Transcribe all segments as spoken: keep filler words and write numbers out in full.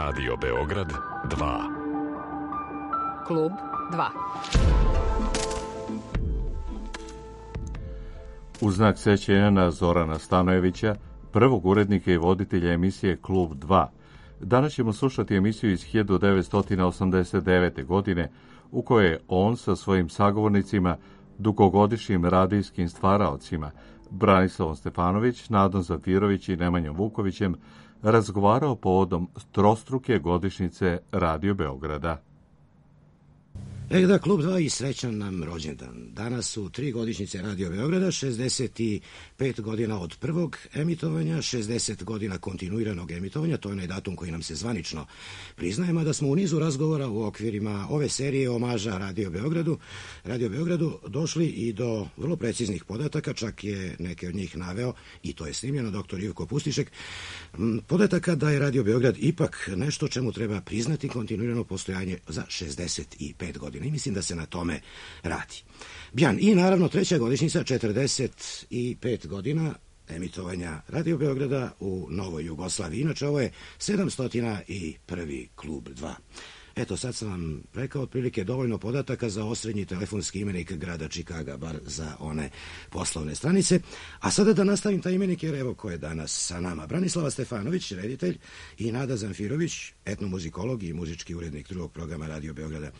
Radio Beograd dva. Klub dva. U znak sećanja na Zorana Stanojevića, prvog urednika i voditelja emisije Klub dva, danas ćemo slušati emisiju iz hiljadu devetsto osamdeset devete. godine, u kojoj je on sa svojim sagovornicima, dugogodišnjim radijskim stvaraocima, Branislavom Stefanović, Nadom Zafirović i Nemanjom Vukovićem, razgovarao povodom trostruke godišnjice Radio Beograda. E da, Klub dva i srećan nam rođendan. Danas su tri godišnjice Radio Beograda, šezdeset pet godina od prvog emitovanja, šezdeset godina kontinuiranog emitovanja, to je onaj datum koji nam se zvanično priznaje, mada smo u nizu razgovora u okvirima ove serije omaža Radio Beogradu, Radio Beogradu došli i do vrlo preciznih podataka, čak je neke od njih naveo, i to je snimljeno, doktor Ivko Pustišek, podataka da je Radio Beograd ipak nešto čemu treba priznati kontinuirano postojanje za šezdeset pet godina. I mislim da se na tome radi. Bjan, i naravno treća godišnjica, četrdeset pet godina emitovanja Radio Beograda u Novoj Jugoslaviji. Inače, ovo je sedamsto prvi Klub dva. Eto, sad sam vam rekao otprilike dovoljno podataka za osrednji telefonski imenik grada Čikaga, bar za one poslovne stranice. A sada da nastavim taj imenik, jer evo ko je danas sa nama. Branislava Stefanović, reditelj, i Nada Zamfirović, etnomuzikolog i muzički urednik drugog programa Radio Beograda.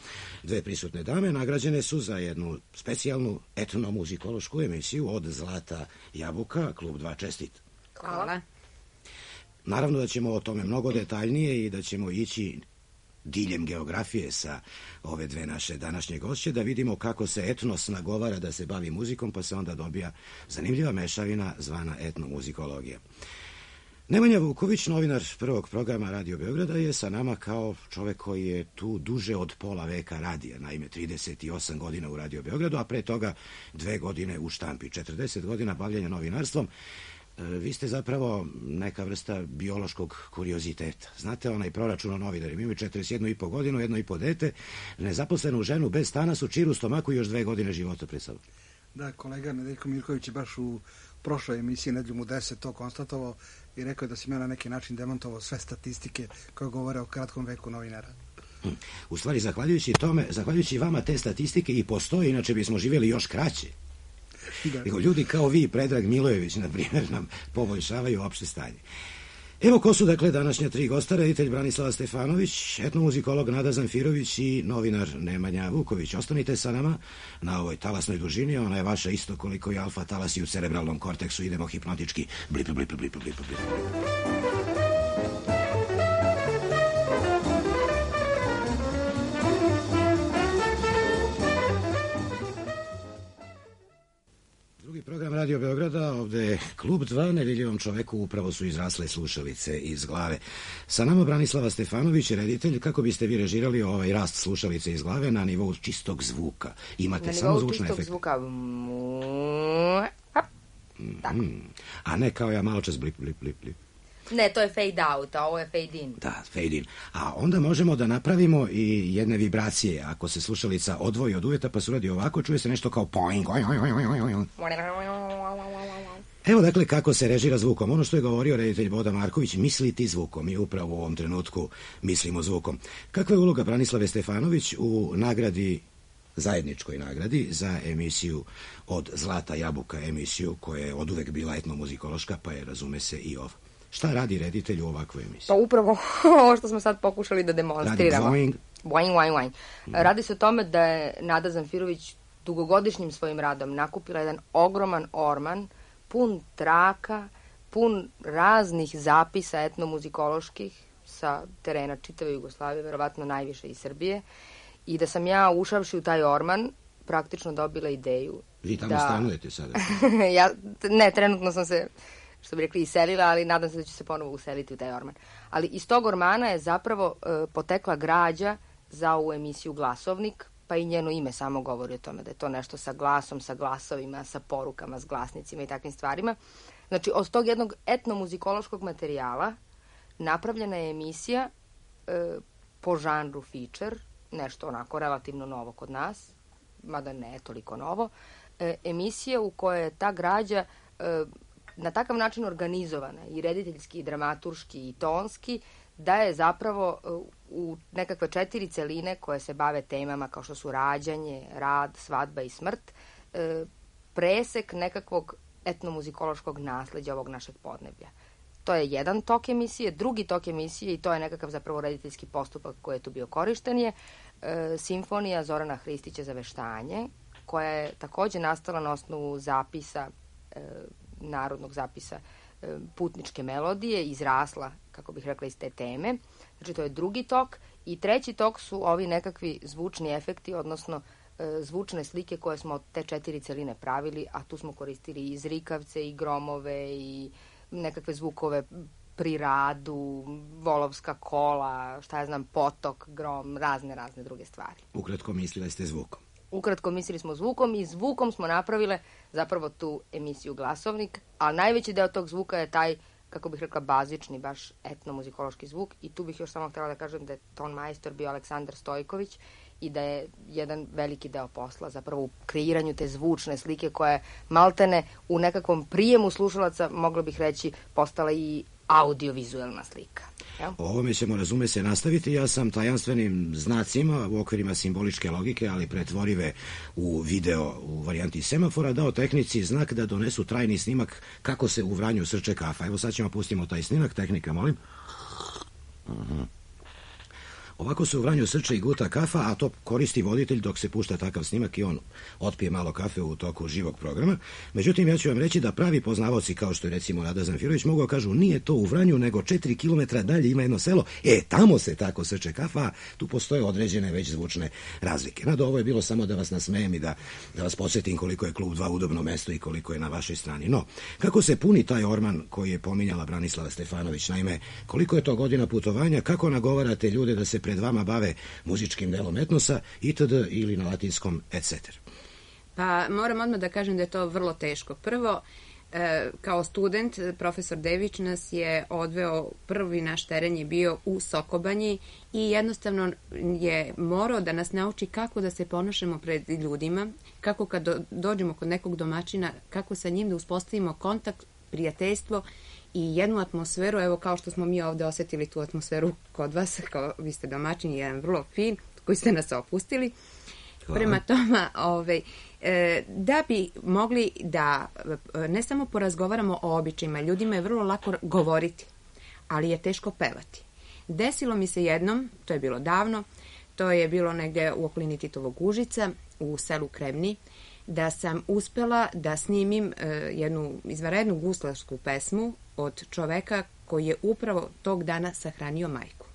Dve prisutne dame nagrađene su za jednu specijalnu etnomuzikološku emisiju od Zlata Jabuka. Klub dva, čestit. Hvala. Naravno da ćemo o tome mnogo detaljnije i da ćemo ići diljem geografije sa ove dve naše današnje gošće, da vidimo kako se etnos nagovara da se bavi muzikom, pa se onda dobija zanimljiva mešavina zvana etnomuzikologija. Nemanja Vuković, novinar prvog programa Radio Beograda, je sa nama kao čovek koji je tu duže od pola veka radija, naime trideset osam godina u Radio Beogradu, a pre toga dve godine u štampi, četrdeset godina bavljanja novinarstvom. Vi ste zapravo neka vrsta biološkog kurioziteta. Znate, onaj proračun o novinarima, imaju četrdeset jednu i po godinu, jedno i po dete, nezaposlenu ženu bez stana, su čir u stomaku i još dve godine života pre sobom. Da, kolega Nedeljko Mirković je baš u prošloj emisiji Nedeljom u deset to konstatovao i rekao je da sam ja na neki način demantovao sve statistike koje govore o kratkom veku novinara. Hm. U stvari, zahvaljujući tome, zahvaljujući vama te statistike i postoje, inače bismo živjeli još kraće. Da. Ljudi kao vi, Predrag Milojević, na primjer, nam poboljšavaju opšte stanje. Evo ko su, dakle, današnja tri gosta: reditelj Branislava Stefanović, etnomuzikolog Nada Zamfirović i novinar Nemanja Vuković. Ostanite sa nama na ovoj talasnoj dužini, ona je vaša isto koliko i alfa talasi u cerebralnom korteksu. Idemo hipnotički. Blip, blip, blip, blip, blip, blip. Drugi program Radio Beograda, ovde je Klub dva, nevidljivom čoveku upravo su izrasle slušalice iz glave. Sa nama Branislava Stefanović, reditelj. Kako biste vi režirali ovaj rast slušalice iz glave na nivou čistog zvuka? Imate na samo zvučne efekte. Zvuka. Mm, a ne kao ja malo čas blip, blip, blip, blip. Ne, to je fade out, a ovo je fade in. Da, fade in. A onda možemo da napravimo i jedne vibracije. Ako se slušalica odvoji od uveta pa se uradi ovako, čuje se nešto kao poing. Evo dakle kako se režira zvukom. Ono što je govorio reditelj Boda Marković, misliti zvukom. Mi upravo u ovom trenutku mislimo zvukom. Kakva je uloga Branislave Stefanović u nagradi, zajedničkoj nagradi za emisiju od Zlata Jabuka, emisiju koja je oduvek bila etnomuzikološka, pa je, razume se, i ova? Šta radi reditelj u ovakvoj emisiji? Pa upravo ovo što smo sad pokušali da demonstriramo. Radi boing. Boing, boing, boing. Mm. Radi se o tome da je Nada Zamfirović dugogodišnjim svojim radom nakupila jedan ogroman orman, pun traka, pun raznih zapisa etnomuzikoloških sa terena čitave Jugoslavije, verovatno najviše iz Srbije, i da sam ja, ušavši u taj orman, praktično dobila ideju. Vi tamo da... stanujete sada? ja, ne, trenutno sam se, što bi rekli, iselila, ali nadam se da ću se ponovo useliti u taj orman. Ali iz tog ormana je zapravo e, potekla građa za ovu emisiju Glasovnik, pa i njeno ime samo govori o tome da je to nešto sa glasom, sa glasovima, sa porukama, s glasnicima i takvim stvarima. Znači, od tog jednog etnomuzikološkog materijala napravljena je emisija e, po žanru feature, nešto onako relativno novo kod nas, mada ne toliko novo, e, emisija u kojoj je ta građa e, na takav način organizovana, i rediteljski, i dramaturški, i tonski, da je zapravo u nekakve četiri celine koje se bave temama kao što su rađanje, rad, svadba i smrt, presek nekakvog etnomuzikološkog nasleđa ovog našeg podneblja. To je jedan tok emisije. Drugi tok emisije, i to je nekakav zapravo rediteljski postupak koji je tu bio korišten, je e, simfonija Zorana Hristića za veštanje, koja je takođe nastala na osnovu zapisa, e, narodnog zapisa e, putničke melodije, izrasla, kako bih rekla, iz te teme. Znači, to je drugi tok. I treći tok su ovi nekakvi zvučni efekti, odnosno e, zvučne slike koje smo od te četiri celine pravili, a tu smo koristili i zrikavce, i gromove, i nekakve zvukove pri radu, volovska kola, šta ja znam, potok, grom, razne, razne druge stvari. Ukratko mislili ste zvukom. Ukratko mislili smo zvukom i zvukom smo napravile zapravo tu emisiju Glasovnik, a najveći deo tog zvuka je taj, kako bih rekla, bazični, baš etnomuzikološki zvuk, i tu bih još samo htjela da kažem da je ton majstor bio Aleksandar Stojković i da je jedan veliki deo posla zapravo u kreiranju te zvučne slike koja je maltene u nekakvom prijemu slušalaca, mogla bih reći, postala i audiovizualna slika. Ja? O ovome ćemo, razume se, nastaviti. Ja sam tajanstvenim znacima u okvirima simboličke logike, ali pretvorive u video u varijanti semafora, dao tehnici znak da donesu trajni snimak kako se u Vranju srče kafa. Evo sad ćemo pustimo taj snimak. Tehnika, molim. Aha. Ovako se u Vranju srče i guta kafa, a to koristi voditelj dok se pušta takav snimak i on otpije malo kafe u toku živog programa. Međutim, ja ću vam reći da pravi poznavaoci, kao što je recimo Nada Zamfirović, mogu kažu nije to u Vranju, nego četiri kilometra dalje ima jedno selo. E, tamo se tako srče kafa, tu postoje određene već zvučne razlike. Nado, ovo je bilo samo da vas nasmejem i da, da vas podsjetim koliko je Klub dva udobno mesto i koliko je na vašoj strani. No, kako se puni taj orman koji je pominjala Branislava Stefanović? Naime, koliko je to godina putovanja, kako nagovarate ljude da se pred vama bave muzičkim delom etnosa, itd. Ili na latinskom, et cetera. Pa moram odmah da kažem da je to vrlo teško. Prvo, e, kao student, profesor Dević nas je odveo, prvi naš teren je bio u Sokobanji i jednostavno je morao da nas nauči kako da se ponašamo pred ljudima, kako kad do, dođemo kod nekog domaćina, kako sa njim da uspostavimo kontakt, prijateljstvo i jednu atmosferu, evo kao što smo mi ovde osetili tu atmosferu kod vas, kao vi ste domaćini, jedan vrlo fin, koji ste nas opustili. Hvala. Prema tome, ovaj, e, da bi mogli da ne samo porazgovaramo o običajima, ljudima je vrlo lako govoriti, ali je teško pevati. Desilo mi se jednom, to je bilo davno, to je bilo negde u okolini Titovog Užica, u selu Kremni, da sam uspela da snimim e, jednu izvanrednu guslarsku pesmu od čoveka koji je upravo tog dana sahranio majku.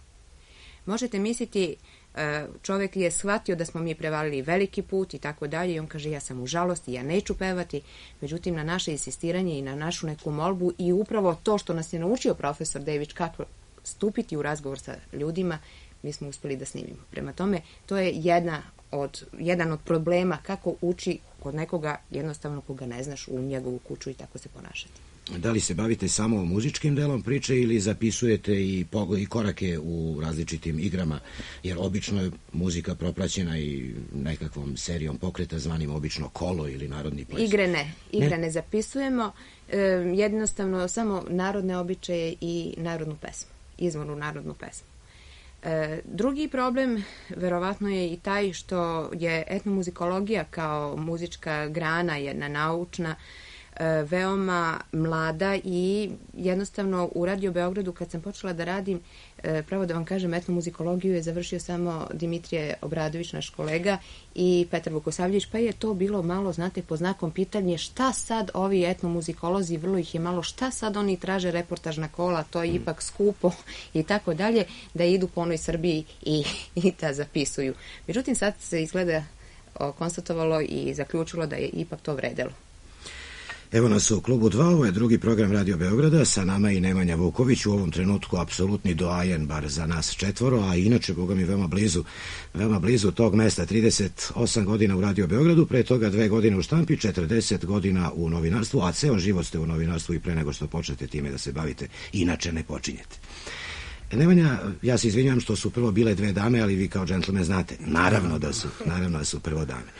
Možete misliti, e, čovek je shvatio da smo mi prevalili veliki put i tako dalje i on kaže ja sam u žalosti, ja neću pevati, međutim na naše insistiranje i na našu neku molbu i upravo to što nas je naučio profesor Dević kako stupiti u razgovor sa ljudima, mi smo uspeli da snimimo. Prema tome, to je jedna od, jedan od problema kako uči kod nekoga jednostavno koga ne znaš u njegovu kuću i tako se ponašati. Da li se bavite samo muzičkim delom priče ili zapisujete i, i korake u različitim igrama, jer obično je muzika propraćena i nekakvom serijom pokreta zvanim obično kolo ili narodni ples? Igre ne, igre ne, ne zapisujemo, e, jednostavno samo narodne običaje i narodnu pesmu, izvornu narodnu pesmu. E, drugi problem verovatno je i taj što je etnomuzikologija kao muzička grana, jedna naučna, e, veoma mlada i jednostavno u Radio Beogradu kad sam počela da radim, e, pravo da vam kažem, etnomuzikologiju je završio samo Dimitrije Obradović, naš kolega, i Petar Vukosavljević, pa je to bilo malo, znate, po znakom pitanje šta sad ovi etnomuzikolozi, vrlo ih je malo, šta sad oni traže reportažna kola, to je mm. ipak skupo i tako dalje, da idu po onoj Srbiji i, i da zapisuju. Međutim, sad se izgleda o, konstatovalo i zaključilo da je ipak to vredelo. Evo nas u Klubu dva, ovo je drugi program Radio Beograda, sa nama i Nemanja Vuković, u ovom trenutku apsolutni doajen, bar za nas četvoro, a inače, boga mi, veoma blizu, veoma blizu tog mesta, trideset osam godina u Radio Beogradu, pre toga dve godine u štampi, četrdeset godina u novinarstvu, a ceo život ste u novinarstvu i pre nego što počnete time da se bavite, inače ne počinjete. Nemanja, ja se izvinjam što su prvo bile dve dame, ali vi kao džentlmen znate, naravno da su, naravno da su prvo dame.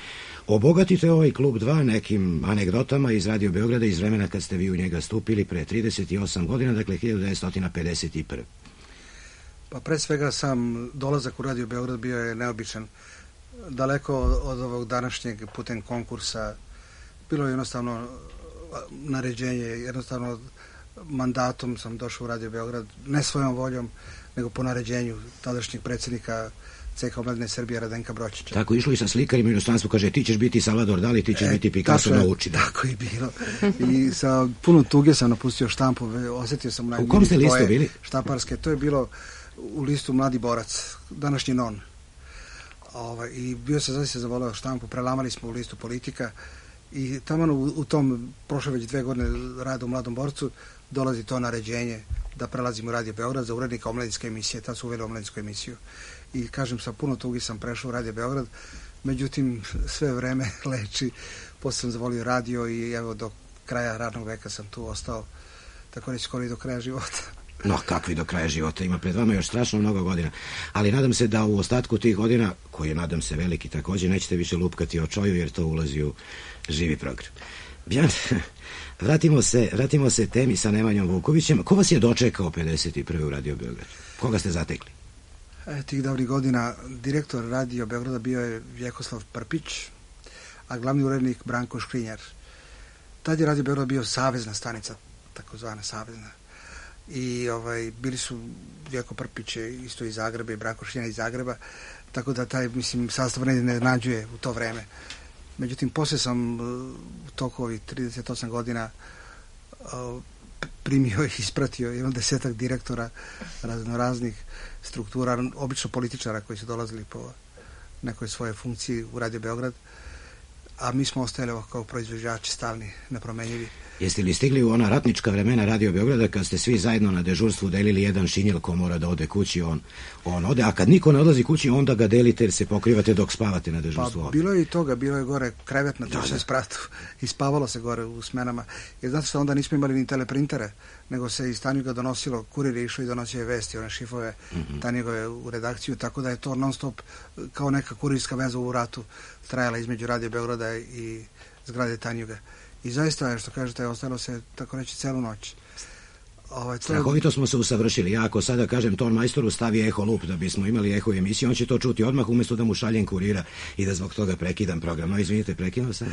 Obogatite ovaj Klub dva nekim anegdotama iz Radio Beograda iz vremena kad ste vi u njega stupili pre trideset osam godina, dakle hiljadu devetsto pedeset prve. Pa pre svega sam dolazak u Radio Beograd bio je neobičan. Daleko od ovog današnjeg putem konkursa. Bilo je jednostavno naređenje, jednostavno mandatom sam došao u Radio Beograd, ne svojom voljom, nego po naređenju tadašnjeg predsjednika C K Omladine Srbije Radenka Bročića. Tako išlo i sa slikarima u inostranstvu, kaže ti ćeš biti Salvador Dali, ti ćeš e, biti Picasso, nauči. Tako je bilo. I sa puno tuge sam napustio štampu, osjetio sam najmiri. U kom ste listu bili? Štamparske, to je bilo u listu Mladi borac, današnji non. Ovaj, I bio sam zaista zavoleo štampu, prelamali smo u listu Politika i tamo u, u tom, prošle već dve godine rada u Mladom borcu, dolazi to naređenje da prelazim u Radio Beograd za urednika omladinske emisije, tad su uveli omladinsku emisiju. I kažem, sa puno tugi sam prešao u Radio Beograd, međutim sve vreme leči, posle sam zavolio radio i evo do kraja radnog veka sam tu ostao, tako reći skoro i do kraja života. No, kakvi do kraja života, ima pred vama još strašno mnogo godina, ali nadam se da u ostatku tih godina, koji je nadam se veliki također, nećete više lupkati o čoju jer to ulazi u živi program. Bjan, vratimo se, vratimo se temi sa Nemanjom Vukovićem. Ko vas je dočekao pedeset prve u Radio Beograd? Koga ste zatekli? E, tih davnih godina direktor Radio Beograda bio je Vjekoslav Prpić, a glavni urednik Branko Škrinjar. Tad je Radio Beograd bio savezna stanica, takozvana savezna. I ovaj, bili su Vjeko Prpić isto iz Zagreba i Branko Škrinjar iz Zagreba, tako da taj, mislim, sastav ne nađuje u to vreme. Međutim, poslije sam u toku ovih trideset osam godina primio i ispratio jedno desetak direktora raznoraznih struktura, obično političara koji su dolazili po nekoj svoje funkciji u Radio Beograd, a mi smo ostajali kao proizvođači stalni, nepromenjivi. Jeste li stigli u ona ratnička vremena Radio Beograda kad ste svi zajedno na dežurstvu delili jedan šinjel ko mora da ode kući, on, on ode, a kad niko ne odlazi kući, onda ga delite jer se pokrivate dok spavate na dežurstvu? Pa bilo je i toga, bilo je gore krevet na trećem spratu i spavalo se gore u smenama. Jer znate što, onda nismo imali ni teleprintere, nego se iz Tanjuga donosilo, kurir je išao i donosio je vesti, one šifove mm-hmm. Tanjugove u redakciju, tako da je to non stop kao neka kurirska veza u ratu trajala između Radio Beograda i zgrade Tanjuga. I zaista je, što kažete, ostalo se, tako reći, celu noć. Ovaj, to... Strahovito smo se usavršili. Ja ako sada kažem ton majstoru stavi eho lup da bismo imali eho emisiju, on će to čuti odmah umjesto da mu šaljem kurira i da zbog toga prekidam program. No, izvinite, prekinuo sam.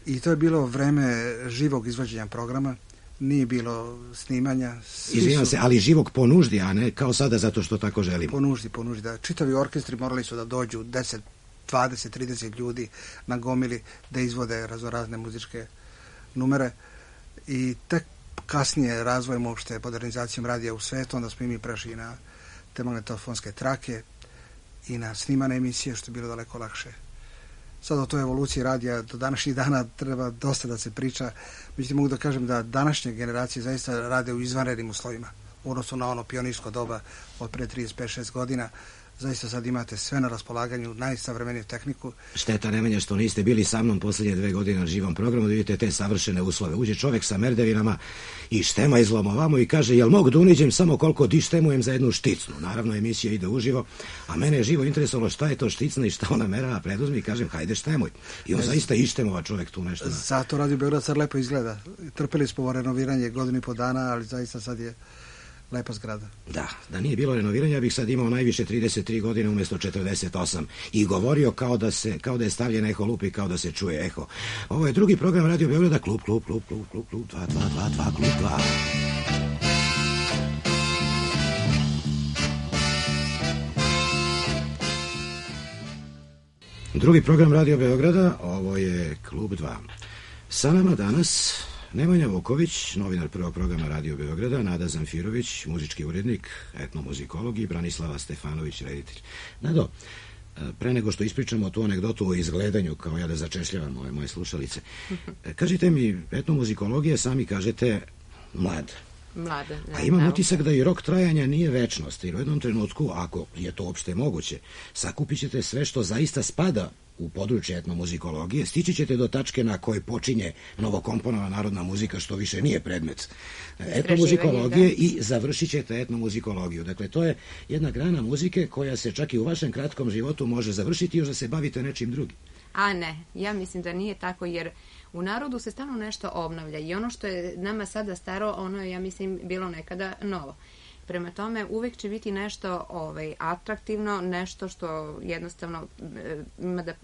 I to je bilo vreme živog izvođenja programa. Nije bilo snimanja. Izvinjam su... se, ali živog po nuždi, a ne kao sada zato što tako želimo. Po nuždi, po nuždi, da. Čitavi orkestri morali su da dođu deset, dvadeset, trideset ljudi na gomili da izvode raznorazne muzičke numere i tek kasnije razvojem uopšte modernizacijom radija u svetu, onda smo i mi prešli na te magnetofonske trake i na snimane emisije, što je bilo daleko lakše. Sad o toj evoluciji radija do današnjih dana treba dosta da se priča, međutim mogu da kažem da današnje generacije zaista rade u izvanrednim uslovima u odnosu na ono pionirsko doba od pre trideset pet šest godina. Zaista sad imate sve na raspolaganju, najsavremeniju tehniku. Šteta Nemanja što niste bili sa mnom posljednje dve godine na živom programu, da vidite te savršene uslove. Uđe čovjek sa merdevinama i štema izlomovamo i kaže, jel mogu da uniđem samo koliko di štemujem za jednu šticnu? Naravno, emisija ide uživo, a mene je živo interesovalo šta je to šticna i šta ona mera preduzmi i kažem, hajde štemuj. I on zaista ištemova čovjek tu nešto. Zato Radio Beograd sad lepo izgleda. Trpeli smo renoviranje godinu i po dana, ali zaista sad je lepa zgrada. Da, da nije bilo renoviranja, ja bih sad imao najviše trideset tri godine umjesto četrdeset osam i govorio kao da se, kao da je stavljen eho lup i kao da se čuje eho. Ovo je drugi program Radio Beograda, klub, klub, klub, klub, klub, klub, dva, dva, dva, dva, klub, dva. Drugi program Radio Beograda, ovo je klub dva. Sa nama danas Nemanja Vuković, novinar prvog programa Radio Beograda, Nada Zamfirović, muzički urednik, etnomuzikolog i Branislava Stefanović, reditelj. Nado, pre nego što ispričamo tu anegdotu o izgledanju, kao ja da začešljavam ove moje slušalice, kažite mi, etnomuzikologija, sami kažete, mlad. Mlada. Ne, A imam utisak da i rok trajanja nije večnost, jer u jednom trenutku, ako je to uopšte moguće, sakupit ćete sve što zaista spada u područje etnomuzikologije, stići ćete do tačke na kojoj počinje novokomponovana narodna muzika, što više nije predmet etnomuzikologije, i završit ćete etnomuzikologiju. Dakle, to je jedna grana muzike koja se čak i u vašem kratkom životu može završiti još da se bavite nečim drugim. A ne, ja mislim da nije tako, jer u narodu se stalno nešto obnavlja i ono što je nama sada staro, ono je, ja mislim, bilo nekada novo. Prema tome, uvek će biti nešto ovaj, atraktivno, nešto što jednostavno ima da,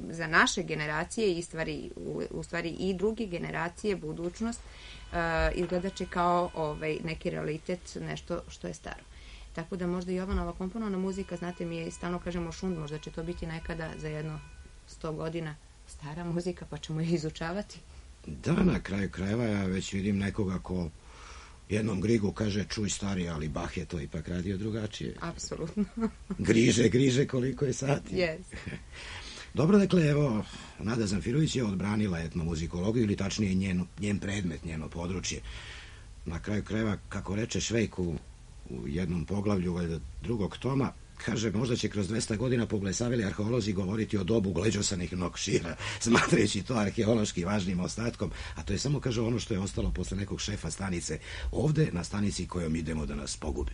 za naše generacije i stvari, u, u stvari i druge generacije, budućnost, uh, izgledat će kao ovaj, neki realitet, nešto što je staro. Tako da možda i ova nova komponovana muzika, znate, mi je stalno kažemo šund, možda će to biti nekada za jedno sto godina stara muzika, pa ćemo je izučavati. Da, na kraju krajeva ja već vidim nekoga ko jednom Grigu kaže čuj stari, ali Bach je to ipak radio drugačije. Apsolutno. Griže, griže koliko je sati. Yes. Dobro, dakle, evo, Nada Zamfirović je odbranila etnomuzikologiju, ili tačnije njen, njen predmet, njeno područje. Na kraju krajeva, kako reče Švejk u, u jednom poglavlju valjda drugog toma, kaže, možda će kroz dvesta godina poblesavili arheolozi govoriti o dobu gleđosanih nokšira, smatrajući to arheološki važnim ostatkom, a to je samo, kaže, ono što je ostalo posle nekog šefa stanice ovde, na stanici kojom idemo da nas pogube.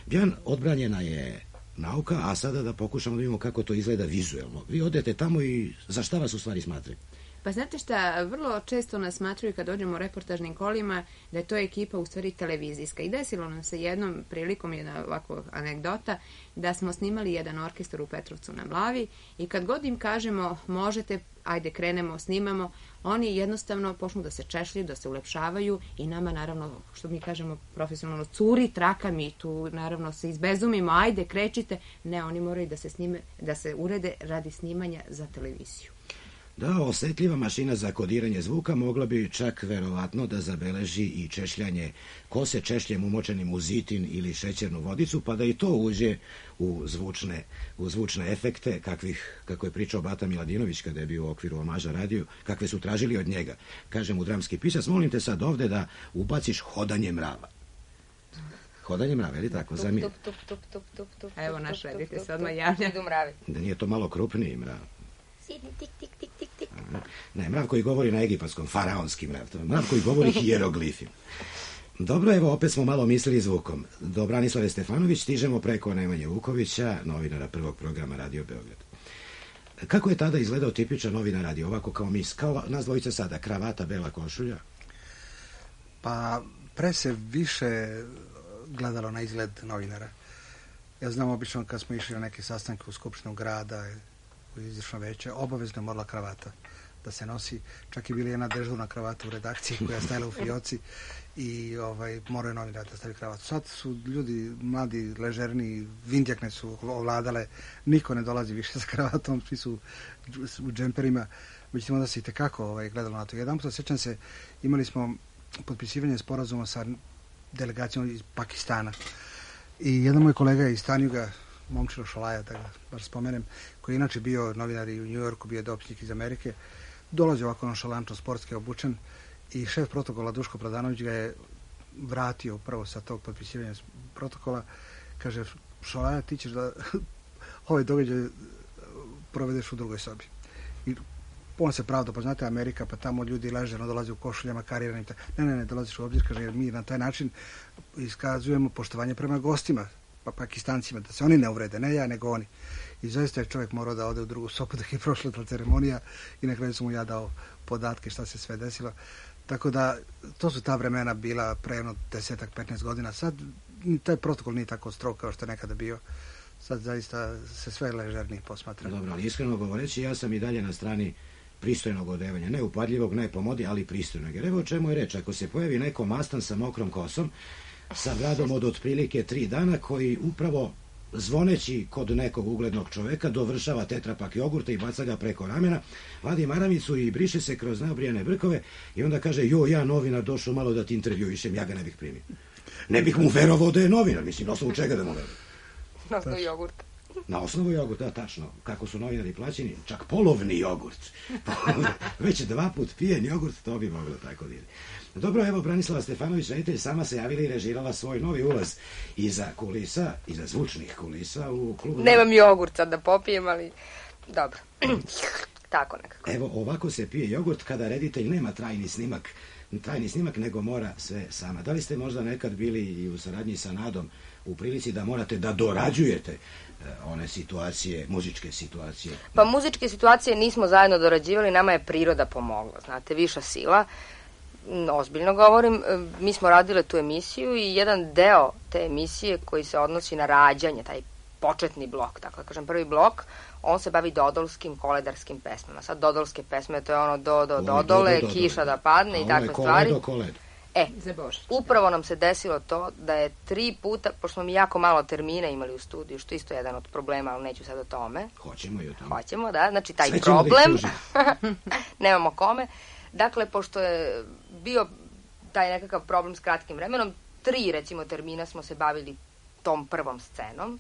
Bjan, odbranjena je nauka, a sada da pokušamo da vidimo kako to izgleda vizuelno. Vi odete tamo i za šta vas u stvari smatraju? Pa znate šta, vrlo često nas smatruju kad dođemo u reportažnim kolima da je to ekipa u stvari televizijska. I desilo nam se jednom prilikom, jedna ovako anegdota, da smo snimali jedan orkestar u Petrovcu na Mlavi i kad god im kažemo možete, ajde krenemo, snimamo, oni jednostavno počnu da se češljaju, da se ulepšavaju i nama naravno, što mi kažemo profesionalno, curi traka, mi tu naravno se izbezumimo, ajde krećite. Ne, oni moraju da se snime, da se urede radi snimanja za televiziju. Da, osetljiva mašina za kodiranje zvuka mogla bi čak verovatno da zabeleži i češljanje kose češljem umočenim u zitin ili šećernu vodicu, pa da i to uđe u zvučne, u zvučne efekte, kakvih, kako je pričao Bata Miladinović kada je bio u okviru Omaža radiju, kakve su tražili od njega. Kaže mu dramski pisac, molim te sad ovde da ubaciš hodanje mrava. Hodanje mrave, ili tako? Tup, tup, tup, tup, tup, tup, tup, Evo, naš tup, redite tup, se odmah tup, javlja. idu mravi. Da nije to malo krupniji mrav? Sidi, tik, tik, tik, tik, tik. Ne, mrav koji govori na egipatskom, faraonski mrav, to je mrav koji govori hijeroglifima. Dobro, evo, opet smo malo mislili zvukom. Do Branislave Stefanović stižemo preko Nemanje Vukovića, novinara prvog programa Radio Beograd. Kako je tada izgledao tipičan novinar radio, ovako kao mis, kao nas dvojice sada, kravata, bela košulja? Pa, pre se više gledalo na izgled novinara. Ja znam, obično kad smo išli na neke sastanke u Skupštinu grada, u izvršno veće, obavezno je morala kravata da se nosi. Čak i bila jedna dežurna kravata u redakciji koja je stajala u fioci i ovaj, moraju novinar da stavi kravatu. Sad su ljudi mladi, ležerni, vindjakne su ovladale, niko ne dolazi više sa kravatom, svi su u džemperima, međutim onda se i tekako ovaj, gledalo na to. Jedan puta, sjećam se, imali smo potpisivanje sporazuma sa delegacijom iz Pakistana i jedan moj kolega iz Tanjuga, Momčilo Šolaja, da ga bar spomenem, koji je inače bio novinar i u Njujorku, bio je dopisnik iz Amerike, dolazi ovako nonšalantno, sportski obučen i šef protokola Duško Pradanović ga je vratio upravo sa tog potpisivanja protokola. Kaže, Šolaja, ti ćeš da ovaj događaj provedeš u drugoj sobi. I on se pravda, pa znate, Amerika, pa tamo ljudi ležerno dolaze u košuljama, kariranim. Ne, ne, ne, dolaziš u obzir, kaže, jer mi na taj način iskazujemo poštovanje prema gostima, pa Pakistancima, da se oni ne uvrede, ne ja, nego oni. I zaista je čovjek morao da ode u drugu sobu dok je prošla ta ceremonija i na kraju sam mu ja dao podatke šta se sve desilo. Tako da, to su ta vremena bila pre jedno desetak, petnaest godina. Sad taj protokol nije tako strog kao što je nekada bio. Sad zaista se sve ležernije posmatra. Dobro, ali iskreno govoreći, ja sam i dalje na strani pristojnog odevanja. Ne upadljivog, ne po modi, ali pristojnog. Jer evo o čemu je reč. Ako se pojavi neko mastan sa mokrom kosom, sa bradom od otprilike tri dana, koji upravo zvoneći kod nekog uglednog čoveka dovršava tetrapak jogurta i baca ga preko ramena, vadi maramicu i briše se kroz naobrijane brkove i onda kaže, jo, ja novinar došao malo da ti intervjuišem, ja ga ne bih primio. Ne bih mu verovao da je novinar, mislim, na osnovu čega da mu verujem? Na osnovu jogurta. Na osnovu jogurta, da, tačno. Kako su novinari plaćeni, čak polovni jogurt. Već dva put pijen jogurt, to bi moglo tako biti. Dobro, evo, Branislava Stefanović, reditelj, sama se javila i režirala svoj novi ulaz iza kulisa, iza zvučnih kulisa u klubu. Nemam jogurt sad da popijem, ali dobro. Tako nekako. Evo, ovako se pije jogurt kada reditelj nema trajni snimak, trajni snimak, nego mora sve sama. Da li ste možda nekad bili i u saradnji sa Nadom u prilici da morate da dorađujete one situacije, muzičke situacije? Pa muzičke situacije nismo zajedno dorađivali, nama je priroda pomogla, znate, viša sila. Ozbiljno govorim, mi smo radile tu emisiju i jedan deo te emisije koji se odnosi na rađanje, taj početni blok, tako da kažem prvi blok, on se bavi dodolskim, koledarskim pesmama. Sad dodolske pesme, to je ono do, do, dodole, kiša da padne i takve stvari. E, upravo nam se desilo to da je tri puta, pošto smo mi jako malo termina imali u studiju, što isto je jedan od problema, ali neću sad o tome. Hoćemo i o tome. Hoćemo, da, znači taj Sve problem, nemamo kome. Dakle, pošto je bio taj nekakav problem s kratkim vremenom, tri, recimo, termina smo se bavili tom prvom scenom.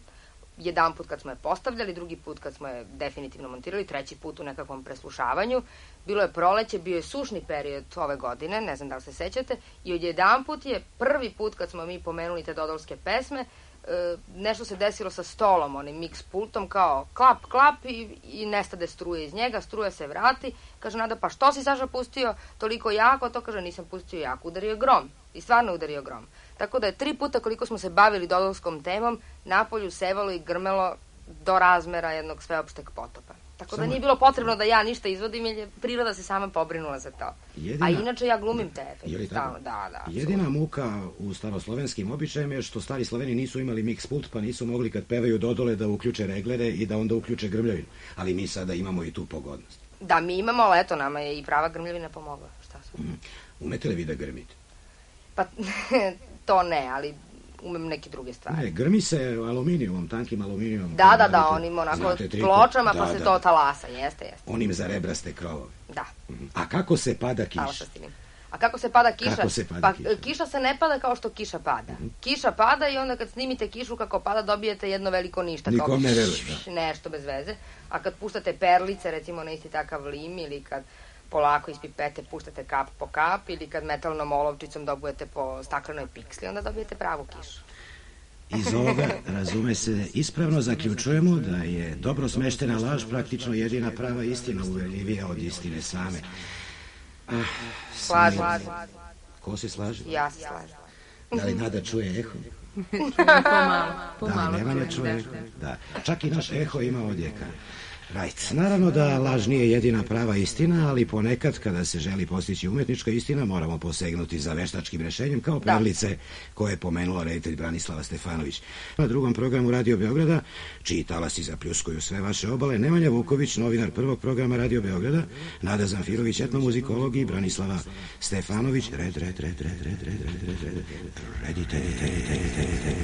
Jedan put kad smo je postavljali, drugi put kad smo je definitivno montirali, treći put u nekakvom preslušavanju. Bilo je proleće, bio je sušni period ove godine, ne znam da li se sećate, i od jedan put je prvi put kad smo mi pomenuli te dodolske pesme, nešto se desilo sa stolom, onim mix pultom, kao klap, klap i, i nestade struje iz njega, struja se vrati, kaže Nada, pa što si Saša pustio toliko jako, to kaže nisam pustio jako, udario grom i stvarno udario grom. Tako da je tri puta koliko smo se bavili dodolskom temom, napolju sevalo i grmelo do razmera jednog sveopšteg potopa. Tako Samo... da nije bilo potrebno da ja ništa izvodim, jer je priroda se sama pobrinula za to. Jedina... A inače ja glumim te efekte. Da, da, Jedina absolutno. Muka u staroslovenskim običajima je što stari Sloveni nisu imali mix pult, pa nisu mogli kad pevaju dodole da uključe reglere i da onda uključe grmljavinu. Ali mi sada imamo i tu pogodnost. Da, mi imamo, ali eto, nama je i prava grmljavina pomogla. Šta su? Mm. Umete li vi da grmite? Pa, to ne, ali umem neke druge stvari. Ne, grmi se aluminijumom, tankim aluminijumom. Da, da, da, onim onako pločama, da, pa se da, to talasa, jeste, jeste. Onim za rebraste krovove. Da. A kako se pada kiša? A kako se pada kiša? Kako se pada pa kiša? Kiša se ne pada kao što kiša pada. Mm-hmm. Kiša pada i onda kad snimite kišu kako pada dobijete jedno veliko ništa. Nikom ne veruje. Da. Nešto bez veze. A kad puštate perlice, recimo na isti takav lim, ili kad polako iz pipete puštate kap po kap, ili kad metalnom olovčicom dobujete po staklenoj piksli, onda dobijete pravu kišu. Iz ovoga, razume se, ispravno zaključujemo da je dobro smeštena laž praktično jedina prava istina, uverljivija od istine same. Ah, slažem se. Ko se slaže? Ja se slažem. Da li Nada čuje eho? Pomalo, pomalo. Da, Nemanja čuje eho? Da. Čak i naš eho ima odjeka. Right. Naravno da laž nije jedina prava istina, ali ponekad kada se želi postići umetnička istina moramo posegnuti za veštačkim rešenjem kao pravlice koje je pomenula reditelj Branislava Stefanović. Na drugom programu Radio Beograda, čiji talasi zapljuskuju sve vaše obale, Nemanja Vuković, novinar prvog programa Radio Beograda, Nada Zamfirović, etnomuzikolog i Branislava Stefanović, red, red, red, red, red, red, red, red, red, redite, redite.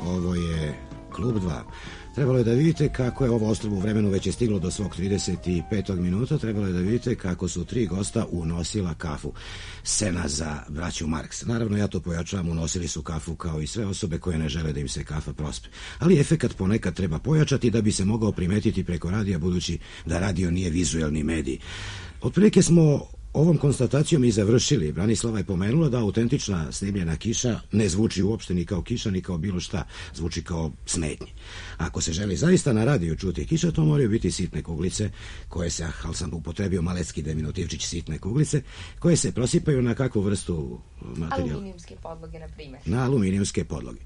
Ovo je Klub dva. Trebalo je da vidite kako je ovo ostrvo u vremenu već je stiglo do svog trideset petog minuta. Trebalo je da vidite kako su tri gosta unosila kafu. Scena za braću Marks. Naravno, ja to pojačavam, unosili su kafu kao i sve osobe koje ne žele da im se kafa prospe. Ali efekat ponekad treba pojačati da bi se mogao primetiti preko radija, budući da radio nije vizuelni medij. Otprilike smo ovom konstatacijom i završili. Branislava je pomenula da autentična snimljena kiša ne zvuči uopšte ni kao kiša, ni kao bilo šta. Zvuči kao smetnje. Ako se želi zaista na radiju čuti kiša, to moraju biti sitne kuglice, koje se, ali sam upotrebio malecki deminutivčić, sitne kuglice, koje se prosipaju na kakvu vrstu materijala? Aluminijumske podloge, na primjer. Na aluminijumske podloge.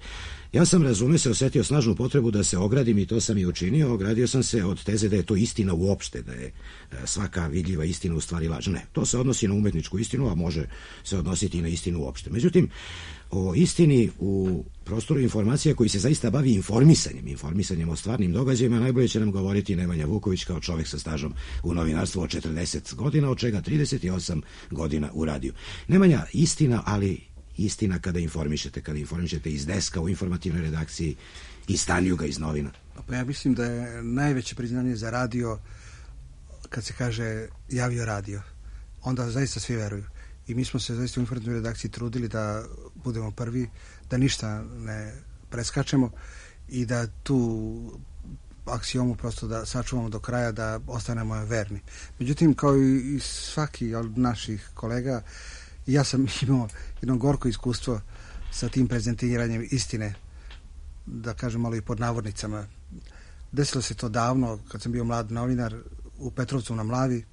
Ja sam, razume se, osetio snažnu potrebu da se ogradim i to sam i učinio. Ogradio sam se od teze da je to istina uopšte, da je svaka vidljiva istina u stvari laž. Ne, to se odnosi na umetničku istinu, a može se odnositi i na istinu uopšte. Međutim, o istini u prostoru informacija koji se zaista bavi informisanjem, informisanjem o stvarnim događajima, najbolje će nam govoriti Nemanja Vuković kao čovjek sa stažom u novinarstvu od četrdeset godina, od čega trideset osam godina u radiju. Nemanja, istina, ali istina kada informišete, kada informišete iz deska u informativnoj redakciji, iz Tanjuga, iz novina. Pa ja mislim da je najveće priznanje za radio kad se kaže javio radio. Onda zaista svi veruju. I mi smo se zaista u informativnoj redakciji trudili da budemo prvi, da ništa ne preskačemo i da tu aksiomu prosto da sačuvamo do kraja, da ostanemo verni. Međutim, kao i svaki od naših kolega, ja sam imao jedno gorko iskustvo sa tim prezentiranjem istine, da kažem malo i pod navodnicama. Desilo se to davno, kad sam bio mlad novinar u Petrovcu na Mlavi.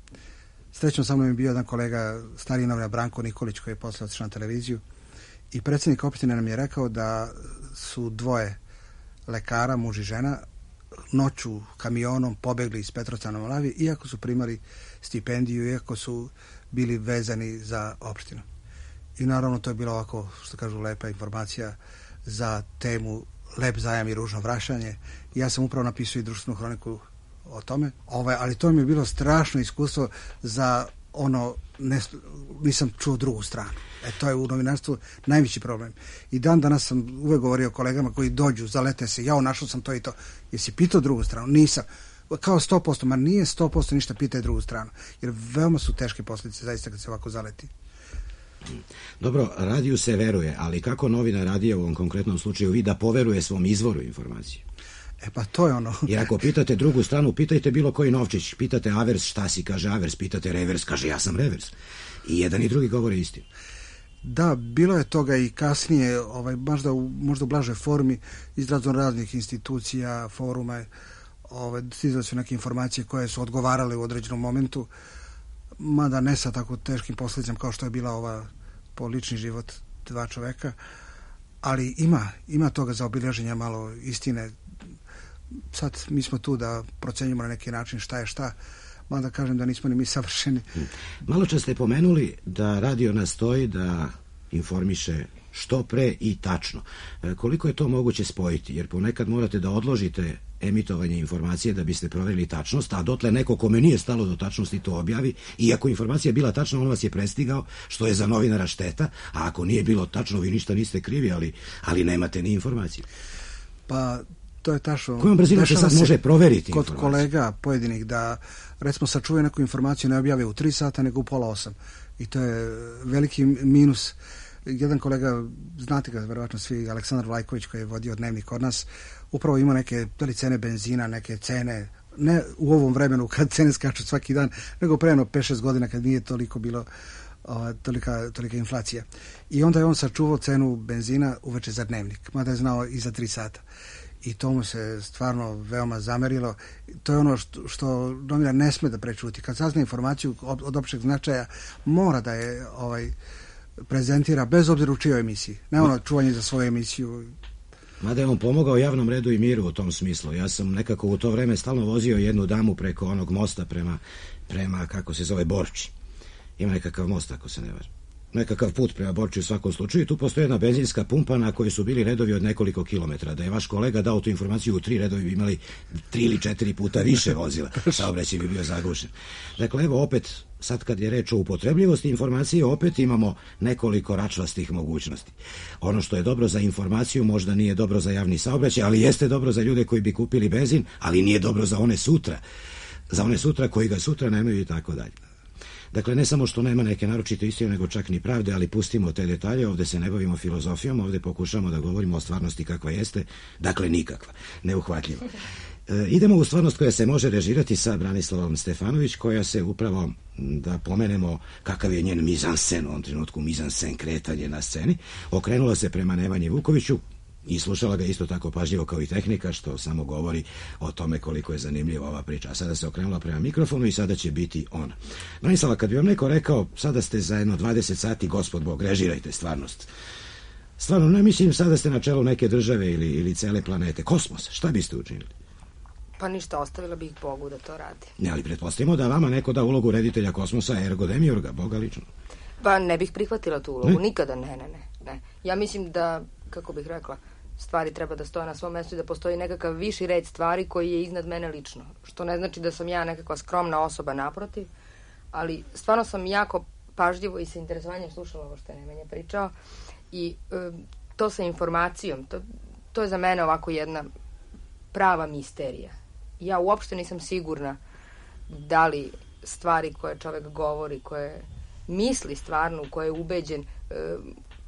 Srećno sa mnom je bio jedan kolega, stariji novinar Branko Nikolić, koji je posle otišao na televiziju. I predsjednik opštine nam je rekao da su dvoje lekara, muž i žena, noću kamionom pobegli iz Petrovca na Molavije, iako su primali stipendiju, iako su bili vezani za opštinu. I naravno to je bila ovako, što kažu, lepa informacija za temu Lep zajam i ružno vraćanje. Ja sam upravo napisao i društvenu hroniku o tome, ovaj, ali to mi je bilo strašno iskustvo za ono, ne, nisam čuo drugu stranu. E, to je u novinarstvu najveći problem. I dan danas sam uvek govorio kolegama koji dođu, zalete se, jao, našao sam to i to. Jesi pitao drugu stranu? Nisam. Kao sto posto, ma nije sto posto ništa, pitaj drugu stranu. Jer veoma su teške posljedice, zaista, kad se ovako zaleti. Dobro, radiju se veruje, ali kako novina radija u ovom konkretnom slučaju vi da poveruje svom izvoru informacije? E pa to je ono. Jer ako pitate drugu stranu, pitajte bilo koji novčić, pitate avers, šta si, kaže avers, pitate revers, kaže ja sam revers. I jedan i drugi govore istinu. Da, bilo je toga i kasnije, ovaj, možda, u, možda u blažoj formi, iz raznih institucija, foruma, ovaj, stizale su neke informacije koje su odgovarale u određenom momentu, mada ne sa tako teškim posljedicama kao što je bila ova po lični život dva čoveka, ali ima, ima toga za obilježenja malo istine. Sad mi smo tu da procenjujemo na neki način šta je šta, mada kažem da nismo ni mi savršeni. Malo čas ste pomenuli da radio nastoji da informiše što pre i tačno. E, koliko je to moguće spojiti? Jer ponekad morate da odložite emitovanje informacije da biste provjerili tačnost, a dotle neko kome nije stalo do tačnosti to objavi, i ako informacija bila tačna, on vas je prestigao, što je za novinara šteta, a ako nije bilo tačno, vi ništa niste krivi, ali, ali nemate ni informaciju. Pa to je tačno. Kojom brzinom se sad može proveriti kod informaciju? Kolega pojedinih da, recimo, sačuvaju neku informaciju, ne objave u tri sata, nego u pola osam. I to je veliki minus. Jedan kolega, znate ga verovatno svi, Aleksandar Vlajković, koji je vodio dnevnik kod nas, upravo ima neke, da li cene benzina, neke cene, ne u ovom vremenu kad cene skaču svaki dan, nego prejeno pet šest godina kad nije toliko bilo o, tolika, tolika inflacija. I onda je on sačuvao cenu benzina uveče za dnevnik, mada je znao i za tri sata. I to mu se stvarno veoma zamerilo. To je ono što, što novinar ne sme da prečuti. Kad sazna informaciju od, od opšteg značaja, mora da je ovaj, prezentira bez obzira u čijoj emisiji. Ne ono čuvanje za svoju emisiju. Mada je on pomogao javnom redu i miru u tom smislu. Ja sam nekako u to vreme stalno vozio jednu damu preko onog mosta prema, prema kako se zove, Borči. Ima nekakav most, ako se ne varam. Nekakav put prema Borči u svakom slučaju. Tu postoji jedna benzinska pumpa na kojoj su bili redovi od nekoliko kilometara. Da je vaš kolega dao tu informaciju u tri redovi, bi imali tri ili četiri puta više vozila. Saobraćaj bi bio zagušen. Dakle, evo opet, sad kad je reč o upotrebljivosti informacije, opet imamo nekoliko račvastih mogućnosti. Ono što je dobro za informaciju možda nije dobro za javni saobraćaj, ali jeste dobro za ljude koji bi kupili benzin, ali nije dobro za one sutra. Za one sutra koji ga sutra nemaju i tako dalje. Dakle, ne samo što nema neke naročite istine, nego čak ni pravde, ali pustimo te detalje, ovde se ne bavimo filozofijom, ovde pokušamo da govorimo o stvarnosti kakva jeste, dakle nikakva, neuhvatljiva. E, idemo u stvarnost koja se može režirati sa Branislavom Stefanović, koja se upravo, da pomenemo kakav je njen mizansen, u ovom trenutku mizansen, kretanje na sceni, okrenula se prema Nemanji Vukoviću i slušala ga isto tako pažljivo kao i tehnika, što samo govori o tome koliko je zanimljiva ova priča. A sada se okrenula prema mikrofonu i sada će biti ona. Branislava, kad bi vam neko rekao, sada ste za jedno dvadeset sati, gospod Bog, režirajte stvarnost. Stvarno, ne mislim, sada ste na čelu neke države ili, ili cele planete, kosmos, šta biste učinili? Pa ništa, ostavila bih Bogu da to radi. Ne, ali pretpostavimo da vama neko da ulogu reditelja kosmosa, ergo demiurga, Boga lično. Pa ne bih prihvatila tu ulogu, ne? nikada, ne, ne, ne, ne. Ja mislim da, kako bih rekla, stvari treba da stoje na svom mestu i da postoji nekakav viši red stvari koji je iznad mene lično. Što ne znači da sam ja nekakva skromna osoba, naprotiv, ali stvarno sam jako pažljivo i sa interesovanjem slušala ovo što je Nemanja pričao i e, to sa informacijom, to, to je za mene ovako jedna prava misterija. Ja uopšte nisam sigurna da li stvari koje čovek govori, koje misli stvarno, koje je ubeđen, e,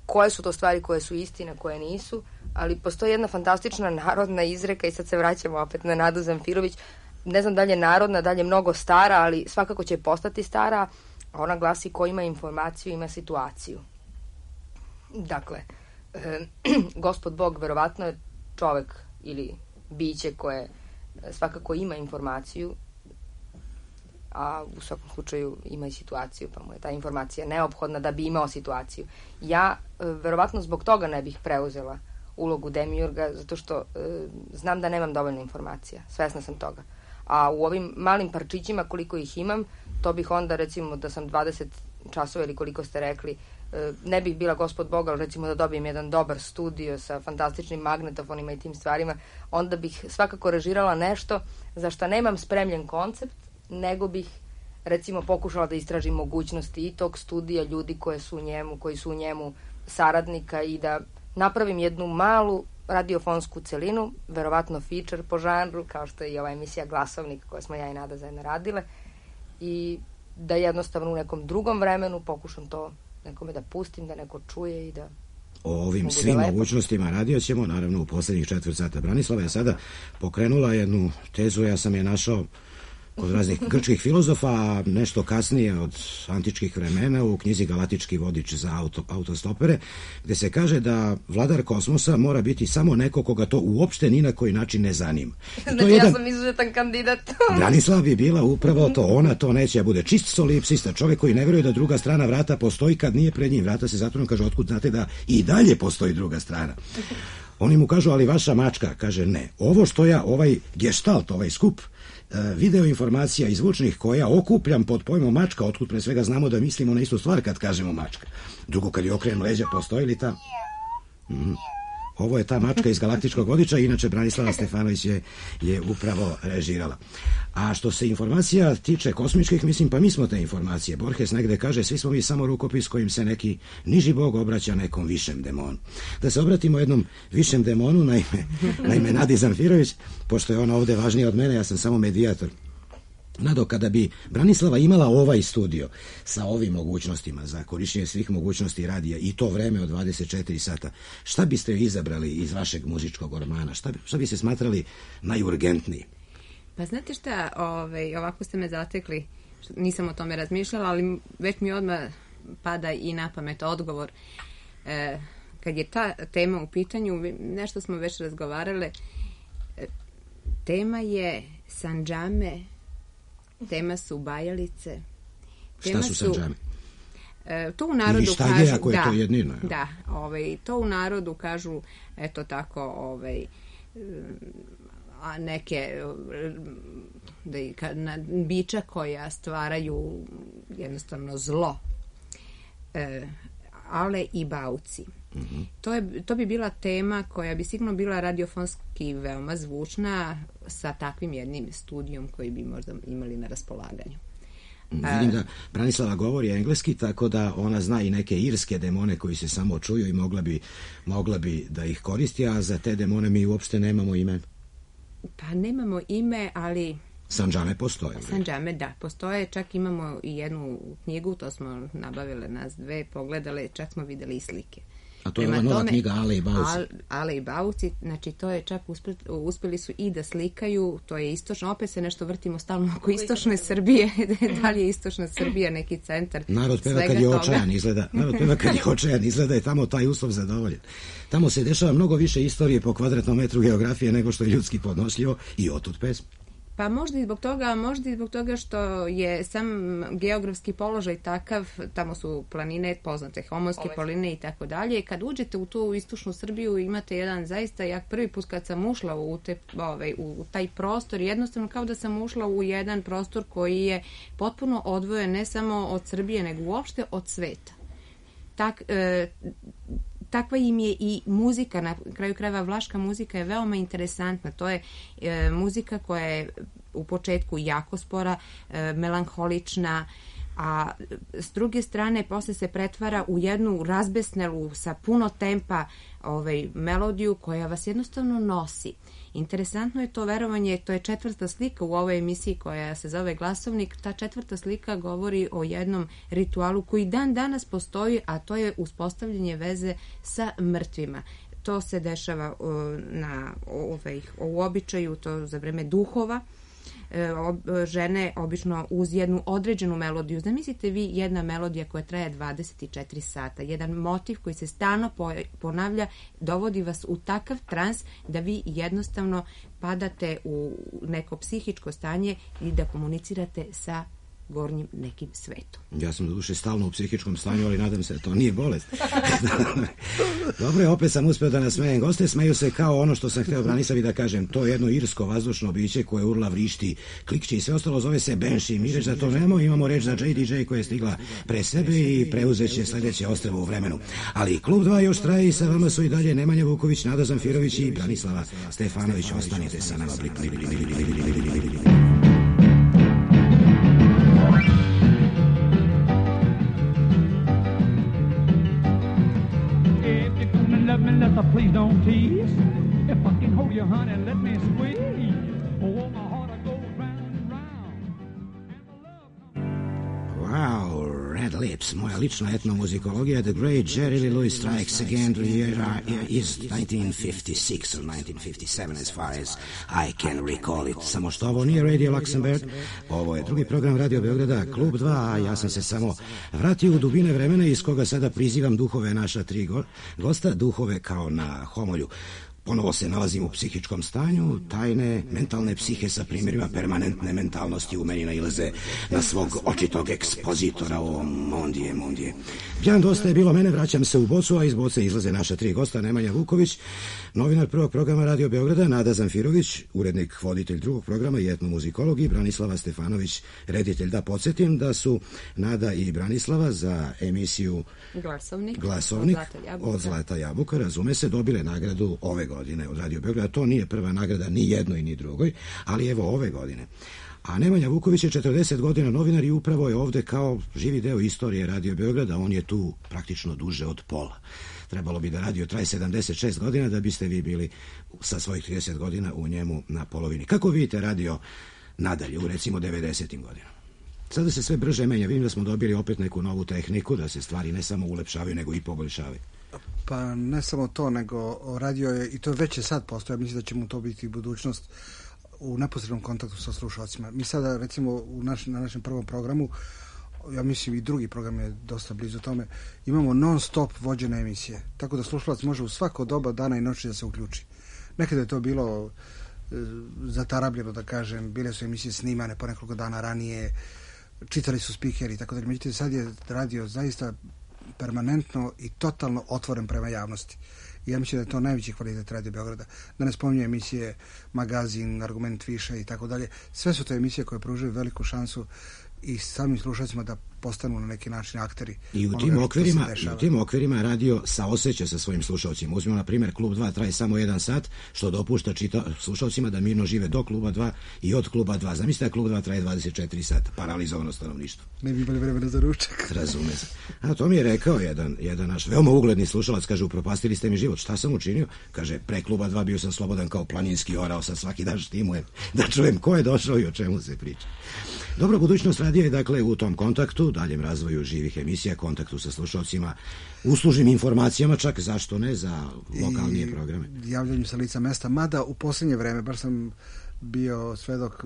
koje su to stvari koje su istina, koje nisu, ali postoji jedna fantastična narodna izreka i sad se vraćamo opet na Nadu Zamfirović. Ne znam da li je narodna, da li je mnogo stara, ali svakako će postati stara. Ona glasi: ko ima informaciju, ima situaciju. Dakle, e, gospod Bog verovatno je čovek ili biće koje svakako ima informaciju, a u svakom slučaju ima i situaciju, pa mu je ta informacija neophodna da bi imao situaciju. Ja verovatno zbog toga ne bih preuzela ulogu demiurga, zato što e, znam da nemam dovoljno informacija, svesna sam toga. A u ovim malim parčićima, koliko ih imam, to bih onda, recimo, da sam dvadeset časova ili koliko ste rekli, e, ne bih bila gospod Boga, ali recimo da dobijem jedan dobar studio sa fantastičnim magnetofonima i tim stvarima, onda bih svakako režirala nešto za što nemam spremljen koncept, nego bih recimo pokušala da istražim mogućnosti i tog studija, ljudi koje su u njemu, koji su u njemu saradnika i da napravim jednu malu radiofonsku celinu, verovatno feature po žanru, kao što je i ova emisija Glasovnik koja smo ja i Nada zajedno radile, i da jednostavno u nekom drugom vremenu pokušam to nekome da pustim, da neko čuje i da... O ovim svim lepo. mogućnostima radio ćemo, naravno, u poslednjih četvrt sata. Branislava je sada pokrenula jednu tezu, ja sam je našao kod raznih grčkih filozofa, a nešto kasnije od antičkih vremena u knjizi Galatički vodič za auto, autostopere, gde se kaže da vladar kosmosa mora biti samo neko koga to uopšte ni na koji način ne zanima. Znači, jedan... ja sam izuzetan kandidat. Branislava bi bila upravo to, ona to neće, ja bude čist solipsista, čovjek koji ne veruje da druga strana vrata postoji kad nije pred njim vrata se zatvoreno, kaže, otkud znate da i dalje postoji druga strana. Oni mu kažu, ali vaša mačka, kaže, ne. Ovo što ja, ovaj gestalt, ovaj skup video informacija i zvučnih koja okupljam pod pojmom mačka, otkud pre svega znamo da mislimo na istu stvar kad kažemo mačka. Drugo, kad je okrenem leđa, postoji li ta... Mm. Ovo je ta mačka iz Galaktičkog vodiča, inače Branislava Stefanović je, je upravo režirala. A što se informacija tiče kosmičkih, mislim, pa mi smo te informacije. Borges negde kaže, svi smo mi samo rukopis kojim se neki niži bog obraća nekom višem demonu. Da se obratimo jednom višem demonu, naime, naime Nadi Zamfirović, pošto je ona ovde važnija od mene, ja sam samo medijator. Nado, kada bi Branislava imala ovaj studio sa ovim mogućnostima za korišćenje svih mogućnosti radija i to vreme od dvadeset četiri sata, šta biste izabrali iz vašeg muzičkog ormana? Šta, šta bi se smatrali najurgentniji? Pa znate šta, ovaj, ovako ste me zatekli, nisam o tome razmišljala, ali već mi odmah pada i na pamet odgovor. E, kad je ta tema u pitanju, nešto smo već razgovarale, e, tema je Sandžame, tema su bajalice. Tema Šta su Sandžame? E, to u narodu Ili šta kažu... je, ako je da, to jednino? Da, ovaj, to u narodu kažu, eto tako, ovaj, a neke da, na, bića koja stvaraju jednostavno zlo. E, ale i bauci. Mm-hmm. To, je, to bi bila tema koja bi sigurno bila radiofonski veoma zvučna sa takvim jednim studijom koji bi možda imali na raspolaganju. Vidim da Branislava govori engleski, tako da ona zna i neke irske demone koji se samo čuju i mogla bi, mogla bi da ih koristi, a za te demone mi uopšte nemamo ime. Pa nemamo ime, ali... Sandžame postoje. Sandžame, da, postoje. Čak imamo i jednu knjigu, to smo nabavile nas dve, pogledale, čak smo videli i slike. A to je ova nova knjiga Ale i Bauci. Al, Ale i Bauci, znači to je čak uspeli, uspeli su i da slikaju, to je istočno, opet se nešto vrtimo stalno oko istočne Srbije, da li je istočna Srbija neki centar. Narod peva kad je očajan izgleda, narod peva kad je očajan izgleda i tamo taj uslov zadovoljen. Tamo se dešava mnogo više istorije po kvadratnom metru geografije nego što je ljudski podnošljivo i otud pesma. Pa možda i zbog toga, možda i zbog toga što je sam geografski položaj takav, tamo su planine poznate, Homonske planine i tako dalje. Kad uđete u tu istočnu Srbiju imate jedan zaista jak prvi put kad sam ušla u, te, ovaj, u taj prostor, jednostavno kao da sam ušla u jedan prostor koji je potpuno odvojen ne samo od Srbije, nego uopšte od sveta. Tak, e, takva im je i muzika, na kraju krajeva vlaška muzika je veoma interesantna. To je e, muzika koja je u početku jako spora, e, melanholična, a s druge strane posle se pretvara u jednu razbesnelu sa puno tempa ovaj, melodiju koja vas jednostavno nosi. Interesantno je to verovanje, to je četvrta slika u ovoj emisiji koja se zove Glasovnik. Ta četvrta slika govori o jednom ritualu koji dan danas postoji, a to je uspostavljanje veze sa mrtvima. To se dešava uh, na ovaj, u običaju, to za vreme duhova. Žene obično uz jednu određenu melodiju. Zamislite vi jedna melodija koja traje dvadeset četiri sata, jedan motiv koji se stalno ponavlja, dovodi vas u takav trans da vi jednostavno padate u neko psihičko stanje i da komunicirate sa gornjim nekim svetom. Ja sam do duše stalno u psihičkom stanju, ali nadam se da to nije bolest. Dobro je, opet sam uspeo da nasmejem goste, smeju se kao ono što sam hteo Branislavi da kažem, to je jedno irsko vazdušno biće koje urla, vrišti, klikće i sve ostalo, zove se Banshee. Mi reč za to nemamo, imamo reč za J D J koja je stigla pre sebe i preuzeće sledeće ostrvo u vremenu. Ali Klub dva još traje i sa vama su i dalje Nemanja Vuković, Nada Zamfirović i Branislava Stefanović. Ostanite sa nama. Blik, blik, blik, blik, blik, blik, blik, blik. Please don't tease. If I can hold you, honey, let me squeeze. Oh, my heart, I go round and round. Wow, Red Lips, moja lična etnomuzikologija. The great Jerry Lee Lewis strikes again. The year is nineteen fifty-six or nineteen fifty-seven as far as I can recall it. Samo što ovo nije Radio Luxembourg, ovo je drugi program Radio Beograda, Klub dva, a ja sam se samo vratio u dubine vremena iz koga sada prizivam duhove naša tri go gosta, duhove kao na homolju. Ponovo se nalazim u psihičkom stanju, tajne mentalne psihe sa primjerima permanentne mentalnosti u meni nailaze na svog očitog ekspozitora o mondije, mondije. Bjan, dosta je bilo mene, vraćam se u bocu, a iz boce izlaze naša tri gosta, Nemanja Vuković, novinar prvog programa Radio Beograda, Nada Zamfirović, urednik, voditelj drugog programa i etnomuzikolog, i Branislava Stefanović, reditelj. Da podsjetim da su Nada i Branislava za emisiju Glasovnik, Glasovnik od Zlata Jabuka, od Zlata Jabuka, razume se, dobile nagradu ove godine od Radio Beograda. To nije prva nagrada ni jednoj ni drugoj, ali evo ove godine. A Nemanja Vuković je četrdeset godina novinar i upravo je ovde kao živi deo istorije Radio Beograda. On je tu praktično duže od pola. Trebalo bi da radio traje sedamdeset šest godina da biste vi bili sa svojih trideset godina u njemu na polovini. Kako vidite radio nadalje u recimo devedesetim godinama? Sada se sve brže menja. Vidim da smo dobili opet neku novu tehniku, da se stvari ne samo ulepšavaju nego i poboljšavaju. Pa ne samo to, nego radio je, i to već je sad postoje, mislim da će mu to biti budućnost, u neposrednom kontaktu sa slušalcima. Mi sada, recimo, u naš, na našem prvom programu, ja mislim i drugi program je dosta blizu tome, imamo non stop vođene emisije, tako da slušalac može u svako doba dana i noći da se uključi. Nekada je to bilo e, zatarabljeno, da kažem, bile su emisije snimane po nekoliko dana ranije, čitali su spikeri, tako da, međutim, sad je radio zaista permanentno i totalno otvoren prema javnosti. I ja mislim da je to najveći kvalitet Radio Beograda. Da ne spominje emisije, magazin, argument više i tako dalje. Sve su to emisije koje pružaju veliku šansu i samim slušalcima da postanu na neki način akteri. I u tim okvirima, i u tim okvirima radio saoseća sa svojim slušalcima. Uzmimo na primjer Klub dva traje samo jedan sat, što dopušta čita slušalcima da mirno žive do Kluba dva i od Kluba dva. Zamislite da Klub dva traje dvadeset četiri sata, paralizovano stanovništvo. Ne bi imali vremena za ručak. Razume se. A to mi je rekao jedan, jedan naš veoma ugledni slušalac, kaže, upropastili ste mi život. Šta sam učinio? Kaže, pre Kluba dva bio sam slobodan kao planinski orao, sad svaki dan štimujem da čujem ko je došao i o čemu se priča. Dobro, budućnost radija je dakle u tom kontaktu, daljem razvoju živih emisija, kontaktu sa slušalcima, uslužnim informacijama, čak zašto ne za lokalnije i programe. Javljanjem sa lica mesta, mada u posljednje vreme, baš sam bio svedok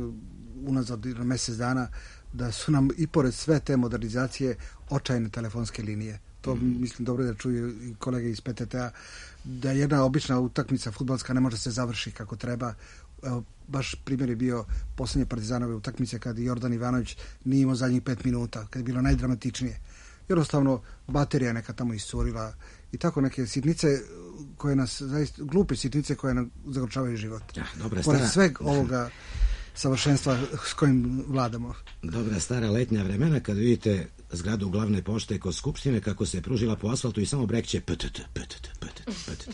unazad mesec dana, da su nam i pored sve te modernizacije očajne telefonske linije. To mm. mislim dobro da čuju i kolege iz P T T-a, da jedna obična utakmica fudbalska ne može se završi kako treba. Evo, baš primjer je bio posljednje Partizanove utakmice kad Jordan Ivanović nije imao zadnjih pet minuta, kad je bilo najdramatičnije. Jednostavno, baterija neka tamo iscurila i tako neke sitnice koje nas, zaista, glupe sitnice koje nam zagorčavaju život. Ja, dobra Pored stara... sveg ovoga savršenstva s kojim vladamo. Dobra stara letnja vremena kad vidite zgradu glavne pošte kod Skupštine kako se pružila po asfaltu i samo brekće ptt, ptt, ptt, ptt,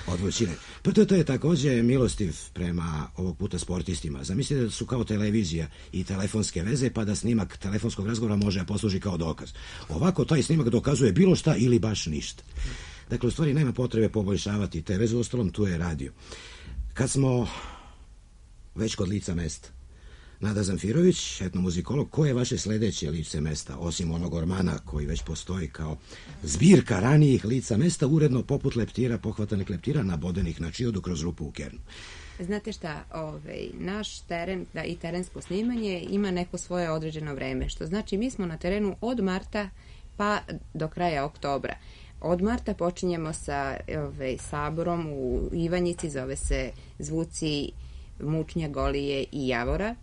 od vrućine. Ptt je takođe milostiv prema ovog puta sportistima. Zamislite da su kao televizija i telefonske veze, pa da snimak telefonskog razgovora može da posluži kao dokaz. Ovako taj snimak dokazuje bilo šta ili baš ništa. Dakle, u stvari nema potrebe poboljšavati te veze, ostalom tu je radio. Kad smo već kod lica mesta, Nada Zamfirović, etnomuzikolog, ko je vaše sledeće lice mesta, osim onog ormana koji već postoji kao zbirka ranijih lica mesta, uredno poput leptira, pohvatanih leptira, nabodenih na čiodu kroz rupu u kernu? Znate šta, ovaj, naš teren da, i terensko snimanje ima neko svoje određeno vreme, što znači mi smo na terenu od marta pa do kraja oktobra. Od marta počinjemo sa ovaj, saborom u Ivanjici, zove se Zvuci Mučnja, Golije i Javora.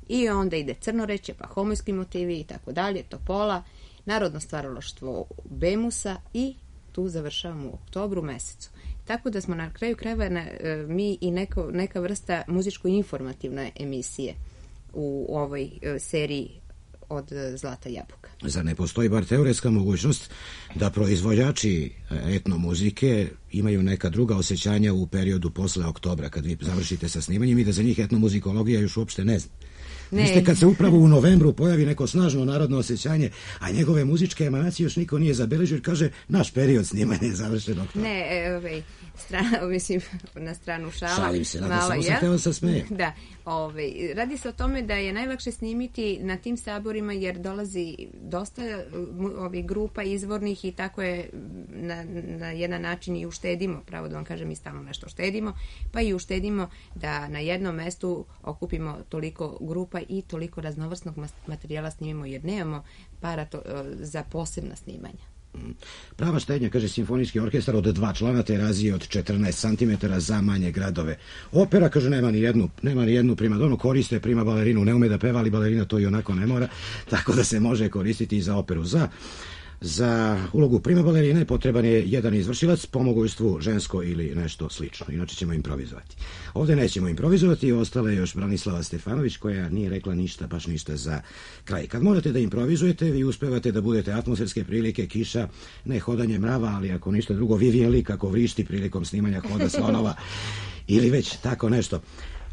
I onda ide Crnoreće, pa Homojski motivi i tako dalje, Topola, Narodno stvaralaštvo Bemusa i tu završavamo u oktobru mesecu. Tako da smo na kraju krajeva na, mi i neko, neka vrsta muzičko-informativne emisije u ovoj seriji od Zlata jabuka. Zar ne postoji bar teoretska mogućnost da proizvođači etno muzike imaju neka druga osjećanja u periodu posle oktobra, kad vi završite sa snimanjem, i da za njih etnomuzikologija još uopšte ne zna? Ne. Viste, kad se upravo u novembru pojavi neko snažno narodno osjećanje, a njegove muzičke emanacije još niko nije zabeležio, kaže, naš period snimanja je završen oktobra. Ne, ovaj, strana, mislim, na stranu šala. Šalim se, mala, samo sam teo sa smejem. Da, ovaj, radi se o tome da je najlakše snimiti na tim saborima, jer dolazi dosta ovih grupa izvornih i tako je na, na jedan način i uštedimo, pravo da vam kažem, i stalno nešto štedimo, pa i uštedimo da na jednom mestu okupimo toliko grupa i toliko raznovrsnog materijala snimimo, jer nemamo para to, za posebna snimanja. Prava štednja, kaže simfonijski orkestar od dva člana, te razije od četrnaest santimetara za manje gradove. Opera, kaže, nema ni jednu, nema ni jednu primadonu, koriste prima balerinu, ne ume da peva, ali balerina to i onako ne mora, tako da se može koristiti i za operu. Za Za ulogu prima balerine potreban je jedan izvršilac, pomogujstvu žensko ili nešto slično, inače ćemo improvizovati. Ovdje nećemo improvizovati, ostala je još Branislava Stefanović, koja nije rekla ništa, baš ništa za kraj. Kad morate da improvizujete, vi uspevate da budete atmosferske prilike, kiša, ne hodanje mrava, ali ako ništa drugo, Vivien Lee kako vrišti prilikom snimanja Hoda slonova ili već tako nešto.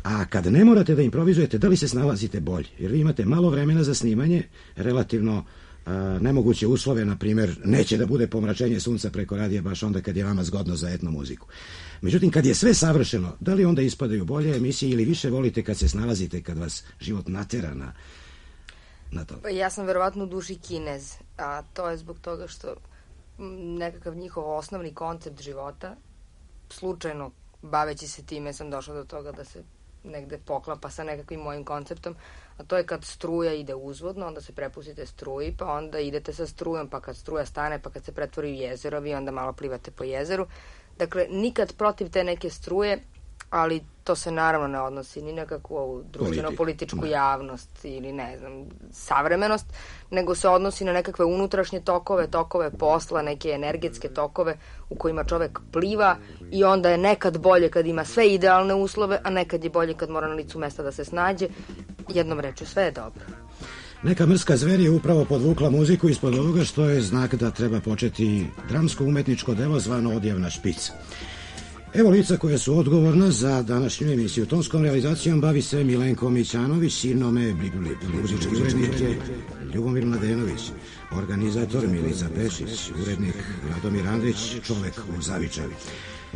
A kad ne morate da improvizujete, da li se snalazite bolje? Jer vi imate malo vremena za snimanje, relativno a, nemoguće uslove, na primjer, neće da bude pomračenje sunca preko radija baš onda kad je vama zgodno za etno muziku. Međutim, kad je sve savršeno, da li onda ispadaju bolje emisije ili više volite kad se snalazite, kad vas život natera na, na to? Ja sam verovatno u duši Kinez, a to je zbog toga što nekakav njihov osnovni koncept života, slučajno baveći se time sam došla do toga da se negde poklapa sa nekakvim mojim konceptom, a to je kad struja ide uzvodno, onda se prepustite struji, pa onda idete sa strujom, pa kad struja stane, pa kad se pretvori u jezero, vi onda malo plivate po jezeru. Dakle, nikad protiv te neke struje, ali to se naravno ne odnosi ni na kakvu društveno-političku javnost ili ne znam, savremenost, nego se odnosi na nekakve unutrašnje tokove, tokove posla, neke energetske tokove u kojima čovek pliva i onda je nekad bolje kad ima sve idealne uslove, a nekad je bolje kad mora na licu mesta da se snađe. Jednom rečju, sve je dobro. Neka mrska zver je upravo podvukla muziku ispod ovoga, što je znak da treba početi dramsko-umetničko delo zvano Odjavna špica. Evo lica koja su odgovorna za današnju emisiju. Tonskom realizacijom bavi se Milenko Mićanović, sinome muzički urednik je Ljubomir Mladenović, organizator Milica Pešić, urednik Radomir Andrić, čovek u Zavičavi.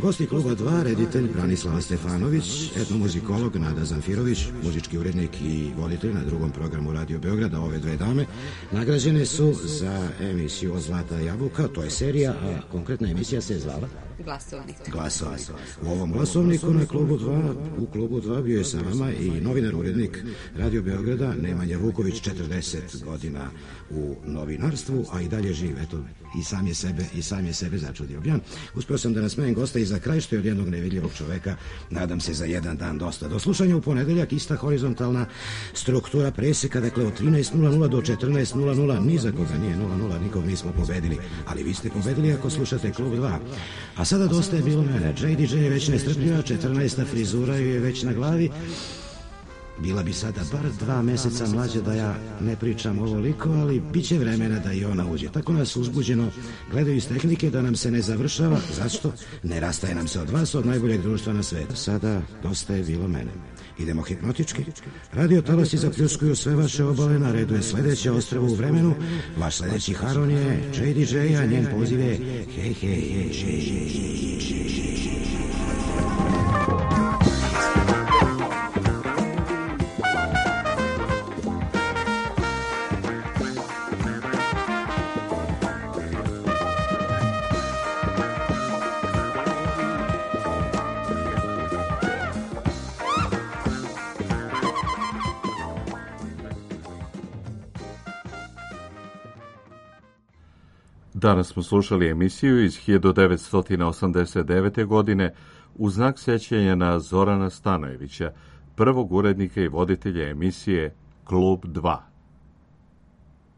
Gosti kluba dva, reditelj Branislava Stefanović, etnomuzikolog Nada Zamfirović, muzički urednik i voditelj na drugom programu Radio Beograda. Ove dve dame nagrađene su za emisiju od Zlata jabuka, to je serija, a konkretna emisija se je zvala Glasovnik. Glasovnik. U ovom glasovniku na klubu dva, u klubu dva bio je sa vama i novinar urednik Radio Beograda Nemanja Vuković, četrdeset godina u novinarstvu, a i dalje živ, eto, i sam je sebe, i sam je sebe začudio. Ja uspeo sam da nasmejem gosta i za kraj, što je od jednog nevidljivog čoveka, nadam se za jedan dan dosta. Do slušanja u ponedeljak, ista horizontalna struktura preseka, dakle od trinaest nula nula do četrnaest nula nula, ni za koga nije nula nula, nikog nismo pobedili, ali vi ste pobedili ako slušate klub dva. A sada dosta je bilo mene. J D J je već nestrpljiva, četrnaesta frizura je već na glavi. Bila bi sada bar dva meseca mlađa da ja ne pričam ovoliko, ali bit će vremena da i ona uđe. Tako nas uzbuđeno gledaju iz tehnike da nam se ne završava. Zašto? Ne rastaje nam se od vas, od najboljeg društva na svetu. Sada dosta je bilo mene. Idemo hipnotički. Radio talasi zapljuskuju sve vaše obale, na redu je sledeće ostrvo u vremenu. Vaš sledeći Haron je J D J, a njen poziv je hej, hej, hej, hej, hej. Danas smo slušali emisiju iz hiljadu devetsto osamdeset devete. godine u znak sećanja na Zorana Stanojevića, prvog urednika i voditelja emisije Klub dva.